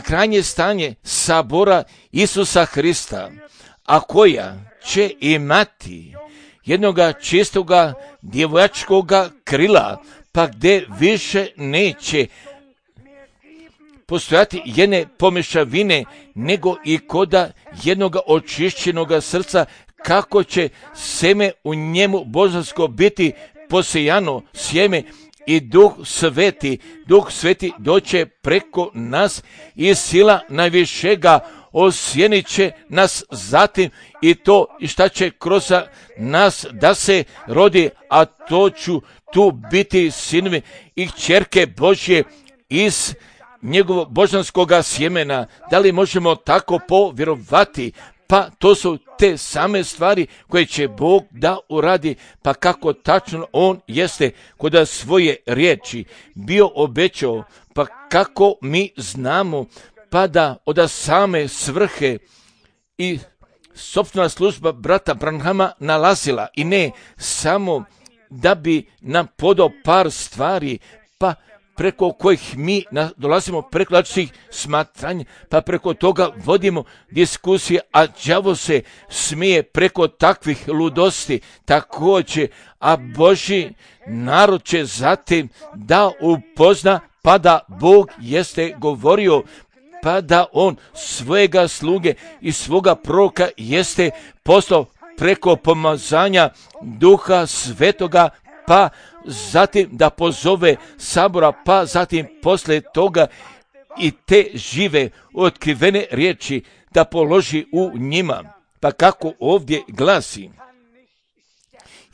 krajnje stanje sabora Isusa Hrista, a koja će imati jednoga čistoga djevojačkoga krila, pa gdje više neće postojati jedne pomešavine, nego i koda jednoga očišćenoga srca, kako će seme u njemu božansko biti posejano sjeme i Duh Sveti doće preko nas i sila najvišega osjenit će nas zatim i to i šta će kroz nas da se rodi, a to ću tu biti sinovi i kćerke Božje iz njegovog božanskoga sjemena. Da li možemo tako povjerovati? Pa to su te same stvari koje će Bog da uradi, pa kako tačno On jeste kod svoje riječi bio obećao, pa kako mi znamo, pa da od same svrhe i sopstvena služba brata Branhama nalazila i ne samo da bi nam podao par stvari, pa preko kojih mi dolazimo preko različitih smatranja, pa preko toga vodimo diskusije, a đavo se smije preko takvih ludosti također, a Božji narod će zatim da upozna, pa da Bog jeste govorio, pa da On svojega sluge i svoga proroka jeste poslao preko pomazanja Duha Svetoga, pa zatim da pozove sabora, pa zatim poslije toga i te žive otkrivene riječi da položi u njima. Pa kako ovdje glasi,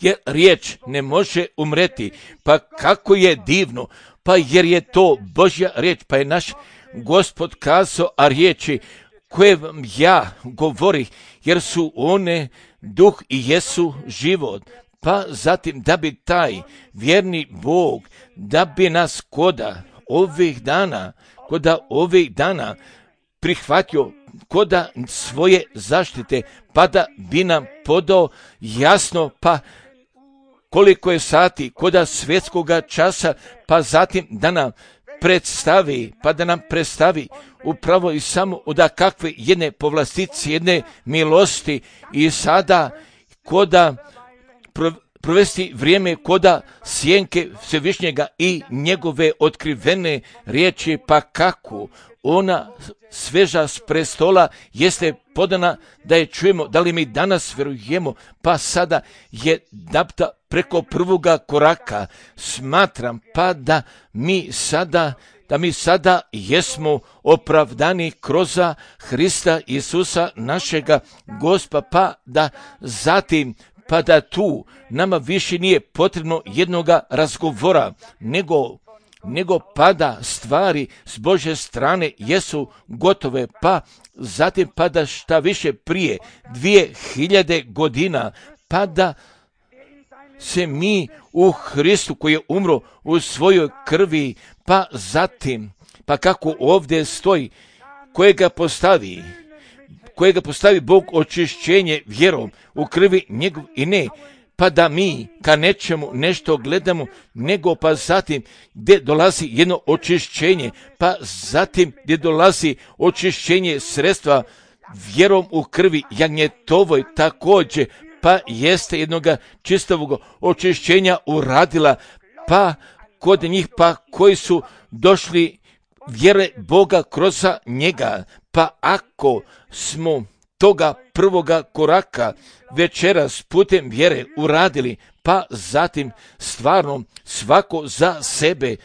jer riječ ne može umreti, pa kako je divno, pa jer je to Božja riječ, pa je naš Gospod kazao, a riječi koje vam ja govorih, jer su one duh i jesu život. Pa zatim da bi taj vjerni Bog, da bi nas koda ovih dana prihvatio koda svoje zaštite, pa da bi nam podao jasno, pa koliko je sati koda svjetskoga časa, pa zatim da nam predstavi upravo i samo od kakve jedne povlastice, jedne milosti i sada koda provesti vrijeme koda sjenke Svevišnjega i njegove otkrivene riječi, pa kako ona sveža s prestola jeste podana da je čujemo, da li mi danas vjerujemo, pa sada je dapta preko prvoga koraka. Smatram pa da mi sada jesmo opravdani kroz Hrista Isusa našega Gospa, pa da zatim pa da tu nama više nije potrebno jednoga razgovora, nego nego pada stvari s Božje strane jesu gotove, pa zatim pada šta više prije 2000 godina, pa da se mi u Hristu koji je umro u svojoj krvi, pa zatim, pa kako ovdje stoji, kojega postavi Bog očišćenje vjerom u krvi njegov i ne, pa da mi ka nečemu nešto gledamo, nego pa zatim gdje dolazi jedno očišćenje, pa zatim gdje dolazi očišćenje sredstva vjerom u krvi jagnjetovoj također, pa jeste jednoga čistovog očišćenja uradila, pa kod njih pa koji su došli vjere Boga kroz njega, pa ako smo toga prvoga koraka večeras putem vjere uradili, pa zatim stvarno svako za sebe,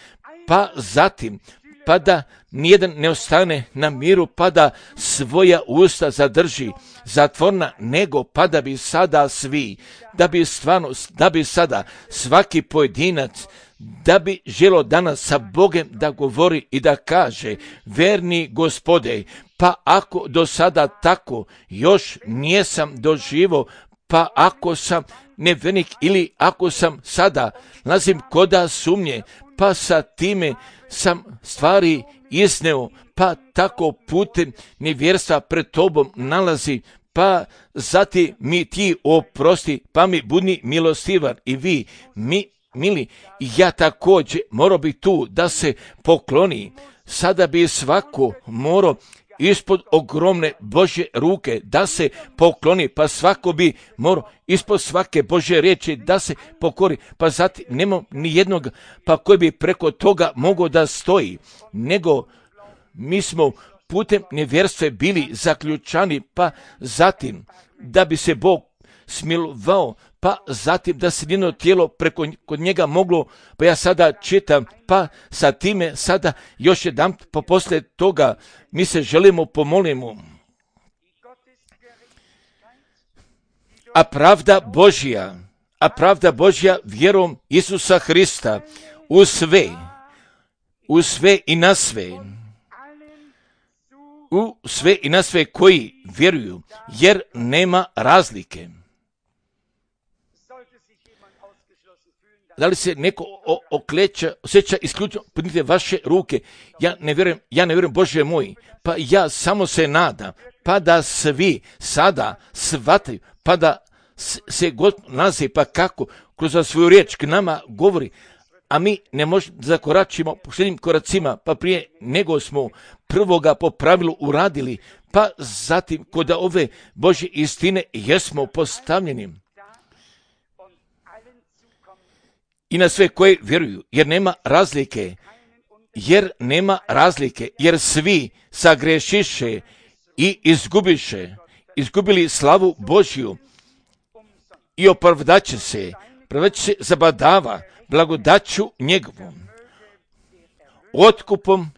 pa zatim pa da nijedan ne ostane na miru, pa da svoja usta zadrži zatvorna, nego pa da bi sada svi, da bi sada svaki pojedinac, da bi želo danas sa Bogem da govori i da kaže: verni Gospode, pa ako do sada tako još nijesam doživo, pa ako sam nevernik ili ako sam sada nalazim koda sumnje, pa sa time sam stvari izneo, pa tako putem nevjerstva pred tobom nalazi, pa zatim mi ti oprosti, pa mi budi milostivan i vi mili, ja također morao bi tu da se pokloni, sada bi svako morao ispod ogromne Božje ruke da se pokloni, pa svako bi morao ispod svake Božje riječi da se pokori, pa zatim nema ni jednog pa koji bi preko toga mogao da stoji, nego mi smo putem nevjerstva bili zaključani, pa zatim da bi se Bog smilovao, pa zatim da se njeno tijelo preko kod njega moglo, pa ja sada čitam, pa sa time sada još jedan pa poslije toga mi se želimo pomolimo. A pravda Božja vjerom Isusa Hrista u sve i na sve, u sve i na sve koji vjeruju, jer nema razlike. Da li se neko osjeća isključivo, podignite vaše ruke, ja ne vjerujem Bože moj, pa ja samo se nadam, pa da svi sada shvataju, pa da se God nalazi, pa kako kroz svoju riječ k nama govori, a mi ne možemo zakoračimo posljednjim koracima, pa prije nego smo prvoga po pravilu uradili, pa zatim kod ove Božje istine jesmo postavljeni. I na sve koji vjeruju, jer nema razlike, jer svi sagrešiše i izgubili slavu Božju i opravdaće se zabadava blagodaću njegovom, otkupom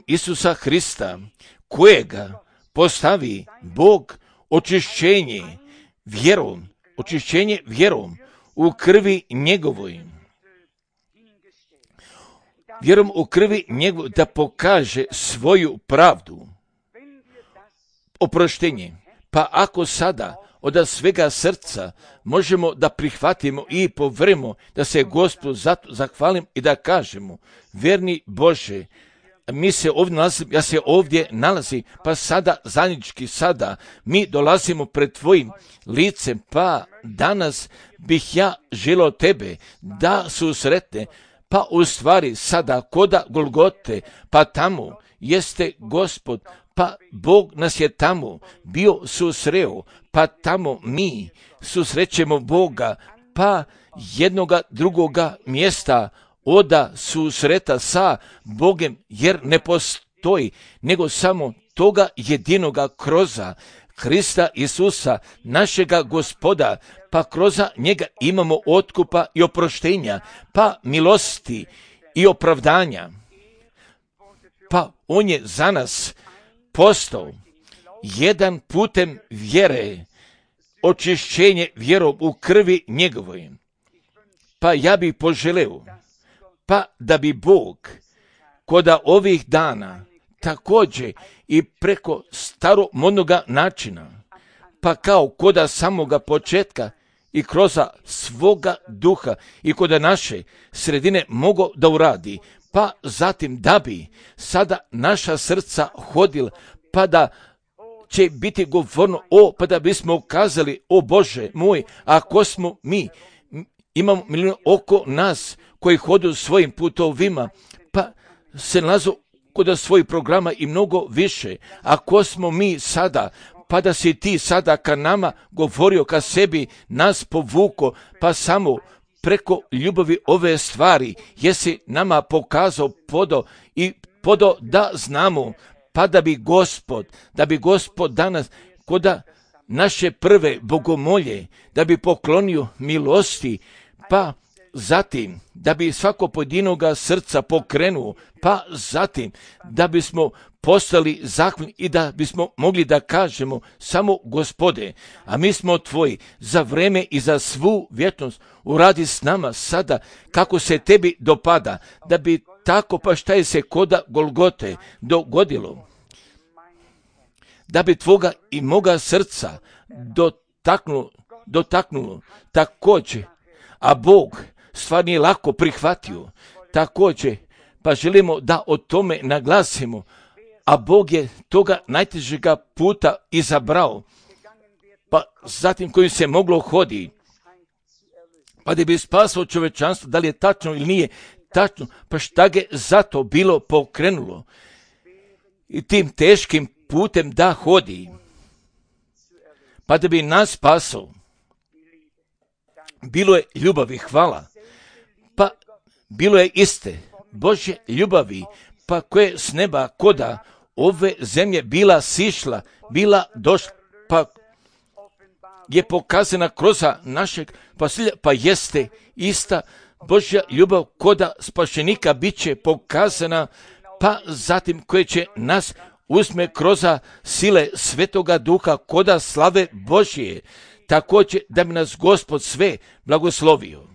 Isusa Hrista, kojega postavi Bog očišćenje vjerom u krvi njegovoj. Vjerom u krvi njegovoj da pokaže svoju pravdu, oproštenje. Pa ako sada od svega srca možemo da prihvatimo i povremo da se Gospodu zato zahvalim i da kažemo: verni Bože, ja se ovdje nalazim, pa sada zajednički sada mi dolazimo pred tvojim licem, pa danas bih ja želio tebe da susretne, pa u stvari sada koda Golgote, pa tamo jeste Gospod, pa Bog nas je tamo bio susreo, pa tamo mi susrećemo Boga, pa jednoga drugoga mjesta oda susreta sa Bogem, jer ne postoji, nego samo toga jedinoga kroza Hrista Isusa, našega Gospoda, pa kroz njega imamo otkupa i oproštenja, pa milosti i opravdanja. Pa on je za nas postao jedan putem vjere, očišćenje vjerom u krvi njegovoj. Pa ja bih poželeo, pa da bi Bog koda ovih dana također i preko staromodnoga načina, pa kao koda samoga početka i kroz svoga duha i koda naše sredine mogo da uradi, pa zatim da bi sada naša srca hodila, pa da će biti govorno, pa da bismo ukazali, o Bože moj, ako smo mi, imamo milijun oko nas koji hodu svojim putovima, pa se nalazu kod svojih programa i mnogo više. Ako smo mi sada, pa da si ti sada ka nama govorio, ka sebi nas povuko, pa samo preko ljubavi ove stvari jesi nama pokazao podo da znamo, pa da bi Gospod danas koda naše prve bogomolje, da bi poklonio milosti, pa zatim da bi svako pojedinoga srca pokrenuo, pa zatim da bismo postali zahvalni i da bismo mogli da kažemo samo Gospode, a mi smo tvoji za vreme i za svu vječnost, uradi s nama sada kako se tebi dopada, da bi tako, pa šta je se koda Golgote dogodilo, da bi tvoga i moga srca dotaknulo također, a Bog stvar nije lako prihvatio također, pa želimo da o tome naglasimo, a Bog je toga najtežega puta izabrao, pa zatim kojim se moglo hodi, pa da bi spasao čovečanstvo, da li je tačno ili nije tačno, pa šta ga zato bilo pokrenulo i tim teškim putem da hodi, pa da bi nas spasao. Bilo je ljubavi, hvala, pa bilo je iste Božje ljubavi, pa koje s neba koda ove zemlje bila sišla, bila došla, pa je pokazana kroz našeg pasilja, pa jeste ista Božja ljubav koda spašenika bit će pokazana, pa zatim koje će nas uzme kroz sile Svetoga Duha koda slave Božje, također da bi nas Gospod sve blagoslovio.